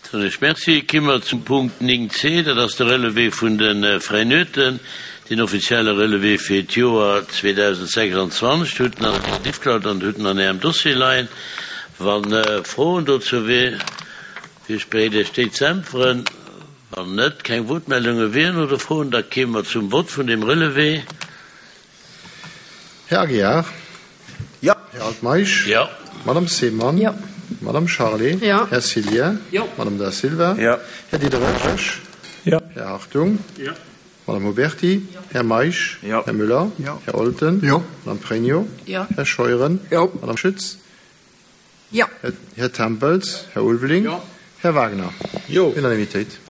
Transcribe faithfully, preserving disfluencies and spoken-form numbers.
Soen ech Merci. Ki mer zum Punkt néng C, dat ass de Relevé vun de Fräinueten, den offizielle Relevé fir d'Joer zweedausendsechsanzwanzeg. Hutt en an der Diffcloud an hutt en an Ärem Dossier leien. Wa Froen dozou wier, wier ech bereet, Iech déi ze äntweren. Wann net, keng Wuertmeldunge wieren oder Froen, da kéime mer zum Vott vun deem Relevé. Här Aguiar. Jo. Här Altmeisch. Jo. Madame Seemann. Jo. Madame Charlé. Jo. Här Cillien. Jo. Madame Da Silva. Jo. Här Diderich. Jo. Här Hartung. Jo. Madame Huberty. Jo. Här Meisch. Jo. Här Müller. Jo. Här Olten. Jo. Madame Pregno. Jo. Här Scheuren. Jo. Madame Schütz. Jo. Här Tempels. Här Ulveling. Jo. Här Wagner. Jo. Unanimitéit.